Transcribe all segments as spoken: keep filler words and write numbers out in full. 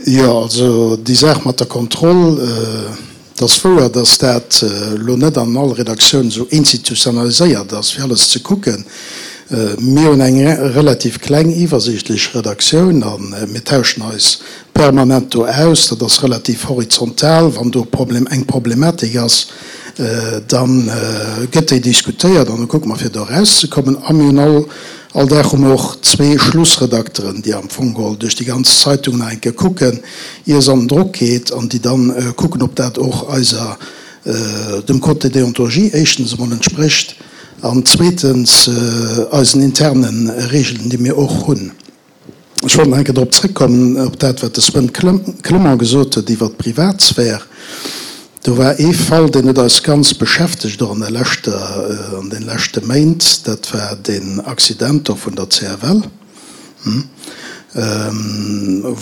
Jo, also déi Saach mat der Kontroll, et ass wouer, datt dat elo net an all Redaktioun esou institutionaliséiert ass, fir alles ze kucken. Mir hunn eng relativ kleng, iwwersiichtlech Redaktioun a mir tauschen eis permanent do aus. Dat ass relativ horizontal. Wann do eng Problematik ass, da gëtt déi diskutéiert an da kucke mer, fir do erauszekommen. A mir hunn all All Dag hu mer och zwee Schlussredakteren, déi am Fong geholl duerch déi ganz Zeitung nach eng Kéier kucken, ier se an den Drock geet, an déi dann kucken, ob dat och eiser, dem Code de déontologie éischtens emol entsprécht an zweetens eisen interne Regeln, déi mir och hunn. Ech wollt nach eng Kéier drop zrëckkommen, op dat, wat de Sven Clement gesot huet iwwert d'Privatsphär. Do war ee Fall, deen huet eis ganz beschäftegt, och an der leschter, an de leschte Méint, dat war deen Accident do vun der C F L,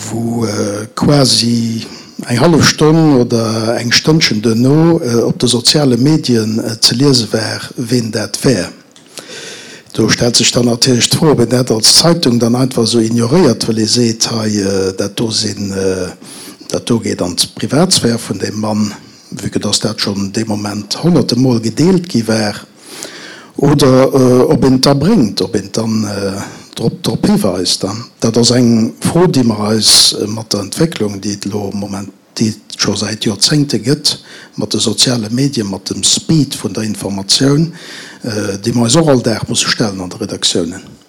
wou quasi eng hallef Stonn oder eng Stënnchen duerno op de soziale Medien ze liese war, ween dat wär. Do stellt sech dann natierlech d'Fro, ob een dat als Zeitung dann einfach esou ignoréiert, well ee seet, hei dat do sinn, dat do geet an d'Privatsphär vun deem Mann, vue que dass dat schonn dee Moment honnerte Mol gedeelt gi war, oder ob een et da bréngt, ob een dann drop drop hiweist. Dat ass eng Fro, déi mer eis mat der Entwécklung, déi et elo moment, déi et scho säit Joerzéngte gëtt, mat de soziale Medien, mat dem Speed vun der Informatioun, déi mer eis och all Dag musse stellen an de Redaktiounen.